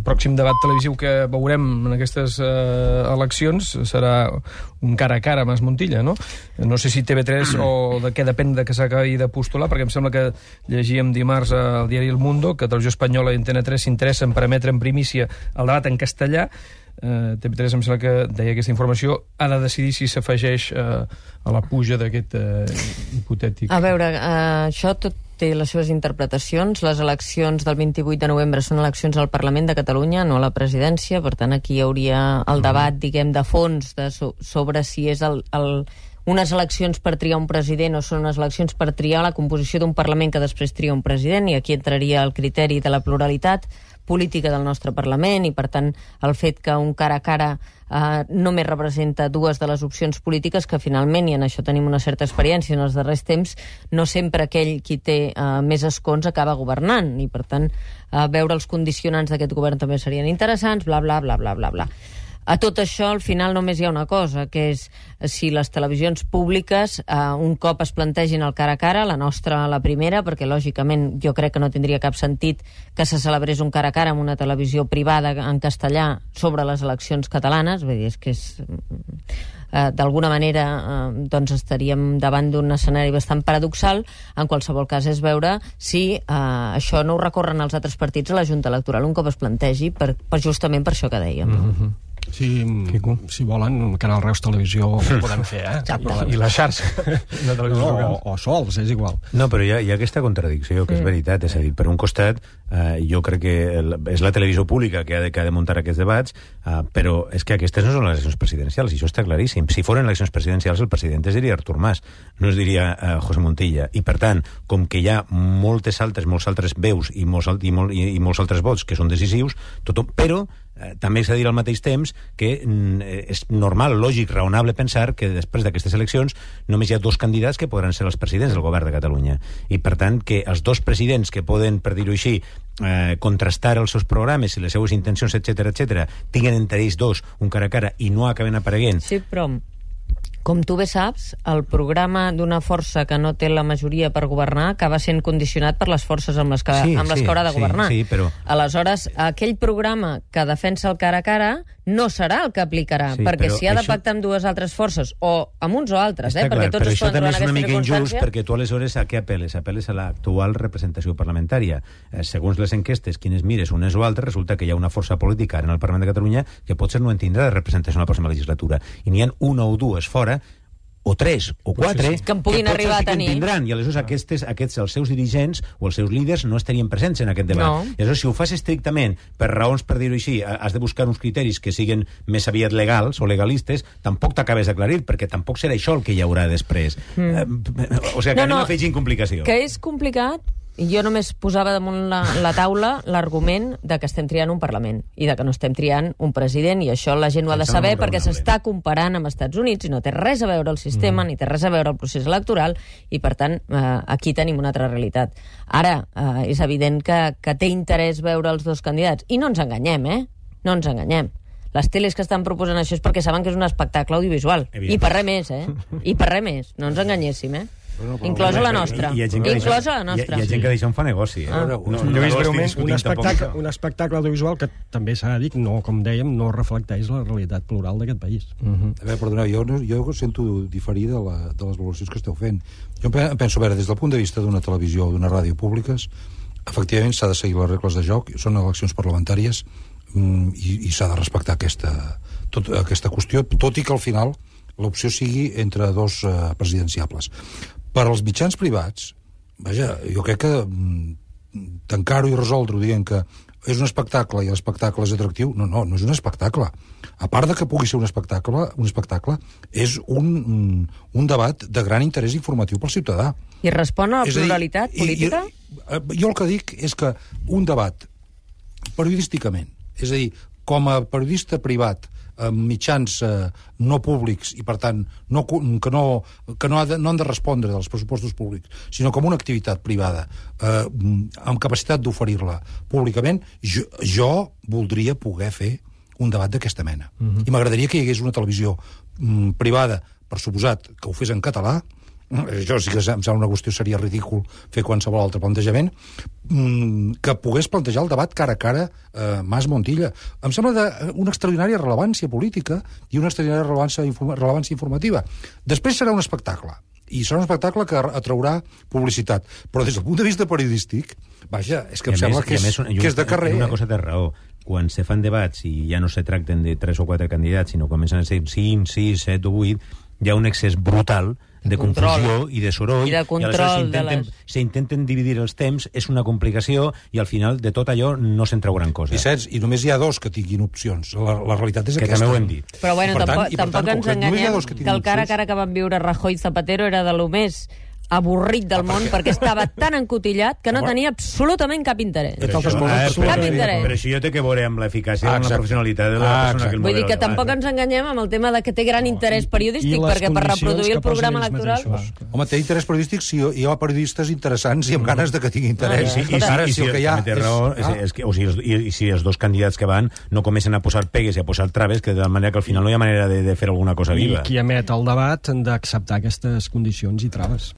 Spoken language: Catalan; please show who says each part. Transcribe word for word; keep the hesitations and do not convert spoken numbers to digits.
Speaker 1: pròxim debat televisiu que veurem en aquestes eh, eleccions serà un cara a cara amb Es Montilla, no? No sé si T V tres o de què depèn de que s'acabi de postular, perquè em sembla que llegíem dimarts al diari El Mundo que Televisió Espanyola i Antena tres s'interessen per emetre en primícia el debat en castellà. Uh, T V tres em sembla que deia aquesta informació, ha de decidir si s'afegeix uh, a la puja d'aquest uh, hipotètic...
Speaker 2: A veure, uh, això tot té les seves interpretacions. Les eleccions del vint-i-vuit de novembre són eleccions al Parlament de Catalunya, no a la presidència, per tant aquí hi hauria el debat, diguem, de fons de so sobre si és el, el, unes eleccions per triar un president o són unes eleccions per triar la composició d'un Parlament que després tria un president, i aquí entraria el criteri de la pluralitat política del nostre Parlament, i per tant el fet que un cara a cara eh, només representa dues de les opcions polítiques que finalment, i en això tenim una certa experiència en els darrers temps, no sempre aquell qui té eh, més escons acaba governant, i per tant eh, veure els condicionants d'aquest govern també serien interessants, bla bla bla bla bla bla. A tot això, al final, només hi ha una cosa, que és si les televisions públiques eh, un cop es plantegin el cara a cara, la nostra la primera, perquè lògicament jo crec que no tindria cap sentit que se celebrés un cara a cara amb una televisió privada en castellà sobre les eleccions catalanes, vull dir, és que és... Eh, d'alguna manera eh, doncs estaríem davant d'un escenari bastant paradoxal. En qualsevol cas és veure si eh, això no ho recorren els altres partits a la Junta Electoral un cop es plantegi, per, per justament per això que dèiem.
Speaker 1: Mm-hmm.
Speaker 3: Si, si volen, Canal Reus Televisió ho podem fer, eh?
Speaker 1: Ja, i la xarxa de televisió
Speaker 3: no, o, o sols, és igual.
Speaker 4: No, però hi ha, hi ha aquesta contradicció, que és veritat, és a dir, per un costat eh, jo crec que el, és la televisió pública que ha, de, que ha de muntar aquests debats, eh, però és que aquestes no són les eleccions presidencials, i això està claríssim. Si foren eleccions presidencials, el president es diria Artur Mas, no es diria eh, José Montilla, i per tant, com que hi ha moltes altres, molts altres veus i molts, i, molt, i, i molts altres vots que són decisius, tothom, però Eh, també s'ha de dir al mateix temps que mm, és normal, lògic, raonable pensar que després d'aquestes eleccions només hi ha dos candidats que podran ser els presidents del govern de Catalunya, i per tant que els dos presidents que poden, per dir-ho així, eh, contrastar els seus programes i les seues intencions, etcètera, etcètera, tinguen entre ells dos un cara a cara i no acaben apareguent.
Speaker 2: Sí, però com tu bé saps, el programa d'una força que no té la majoria per governar acaba sent condicionat per les forces amb les que,
Speaker 4: sí,
Speaker 2: amb les
Speaker 4: sí,
Speaker 2: que haurà de governar.
Speaker 4: Sí, sí, però...
Speaker 2: Aleshores, aquell programa que defensa el cara a cara no serà el que aplicarà, sí, perquè si ha de
Speaker 4: això...
Speaker 2: pactar amb dues altres forces, o amb uns o altres,
Speaker 4: Està
Speaker 2: eh,
Speaker 4: clar,
Speaker 2: perquè tots
Speaker 4: però
Speaker 2: es poden trobar en aquesta
Speaker 4: circumstància. Això també és una mica injust, perquè tu aleshores a què apel·les? Apel·les a l'actual representació parlamentària. Eh, segons les enquestes, quines mires unes o altres, resulta que hi ha una força política en el Parlament de Catalunya que potser no en tindrà de representació en la pròxima legislatura. I n'hi ha una o dues fora, o tres, o quatre,
Speaker 2: que en puguin arribar a tenir.
Speaker 4: Tindran, i aleshores aquests, aquests, els seus dirigents o els seus líders no estarien presents en aquest debat.
Speaker 2: No.
Speaker 4: I aleshores, si ho fas estrictament per raons, per dir-ho així, has de buscar uns criteris que siguin més aviat legals o legalistes, tampoc t'acabes d'aclarir, perquè tampoc serà això el que hi haurà després. Mm. O sigui, que no, anem no, afegint complicació.
Speaker 2: Que és complicat. Jo només posava damunt la, la taula l'argument de que estem triant un Parlament i de que no estem triant un president, i això la gent ho ha de saber perquè s'està comparant amb Estats Units i no té res a veure el sistema, mm. ni té res a veure el procés electoral, i per tant eh, aquí tenim una altra realitat. Ara, eh, és evident que, que té interès veure els dos candidats, i no ens enganyem, eh? No ens enganyem. Les teles que estan proposant això és perquè saben que és un espectacle audiovisual, i per res més, eh? I per res més, no ens enganyéssim, eh? Bueno, inclosa la nostra.
Speaker 4: Hi, hi
Speaker 2: inclosa la nostra.
Speaker 4: Hi, hi ha gent que d'això en fa negoci. Eh?
Speaker 3: Ah. No, no, no, no, un, espectacle, un espectacle audiovisual que també s'ha de dir, no, com dèiem, no reflecteix la realitat plural d'aquest país.
Speaker 5: Uh-huh. A veure, perdoneu, jo, no, jo sento diferir de, la, de les valoracions que esteu fent. Jo penso, a veure, des del punt de vista d'una televisió o d'una ràdio públiques, efectivament s'ha de seguir les regles de joc, són eleccions parlamentàries, i, i s'ha de respectar aquesta, tot, aquesta qüestió, tot i que al final l'opció sigui entre dos uh, presidenciables. Per als mitjans privats, vaja, jo crec que mm, tancar-ho i resoldre-ho dient que és un espectacle i l'espectacle és atractiu, no, no, no és un espectacle. A part de que pugui ser un espectacle, un espectacle és un, un debat de gran interès informatiu pel ciutadà.
Speaker 2: I respon a la pluralitat
Speaker 5: dir,
Speaker 2: política?
Speaker 5: I, i, jo el que dic és que un debat periodísticament, és a dir, com a periodista privat, amb mitjans eh, no públics i per tant no, que, no, que no, ha de, no han de respondre dels pressupostos públics, sinó com una activitat privada eh, amb capacitat d'oferir-la públicament, jo, jo voldria poder fer un debat d'aquesta mena. Uh-huh. I m'agradaria que hi hagués una televisió mm, privada, per suposat, que ho fes en català, això sí que em sembla una qüestió, seria ridícul fer qualsevol altre plantejament, que pogués plantejar el debat cara a cara eh, Mas-Montilla. Em sembla d'una extraordinària rellevància política i una extraordinària rellevància, rellevància informativa. Després serà un espectacle, i serà un espectacle que atraurà publicitat. Però des del punt de vista periodístic, vaja, és que em sembla que és,
Speaker 4: més,
Speaker 5: que és de carrer.
Speaker 4: Una cosa té raó. Quan se fan debats i ja no se tracten de tres o quatre candidats, sinó comencen a ser cinc, sis, set o vuit, hi ha un excés brutal de confusió i de soroll,
Speaker 2: i de control
Speaker 4: i aleshores s'intenten les... dividir els temps, és una complicació, i al final de tot allò no se'n treu gran cosa.
Speaker 5: Vicenç, i només hi ha dos que tinguin opcions. La, la realitat és
Speaker 4: que
Speaker 5: aquesta.
Speaker 4: Que també ho hem dit.
Speaker 2: Però bueno,
Speaker 5: per
Speaker 2: tampoc,
Speaker 5: tant,
Speaker 2: tampoc
Speaker 5: tant,
Speaker 2: ens enganyem que, que el cara a cara que van viure Rajoy i Zapatero era de lo més avorrit del ah, món, perquè... perquè estava tan encotillat que no tenia absolutament cap interès.
Speaker 4: Però això, ah,
Speaker 2: cap
Speaker 4: però,
Speaker 2: interès.
Speaker 4: Però això jo té que veure amb l'eficàcia,
Speaker 5: ah,
Speaker 4: amb la professionalitat de la ah, persona que el
Speaker 2: Vull dir que
Speaker 4: debat,
Speaker 2: tampoc
Speaker 4: eh?
Speaker 2: ens enganyem amb el tema de que té gran interès periodístic, perquè per reproduir el programa electoral...
Speaker 3: Mateixos.
Speaker 5: Home, té interès periodístic si hi ha periodistes interessants i amb ganes de que tingui interès.
Speaker 4: Ah, I, i, i, ara, si el que hi ha... És, raó, és, ah. és que, o sigui, i, i si els dos candidats que van no comencen a posar pegues i a posar traves, que de manera que al final no hi ha manera de, de fer alguna cosa viva.
Speaker 3: I qui emet el debat han d'acceptar aquestes condicions i traves.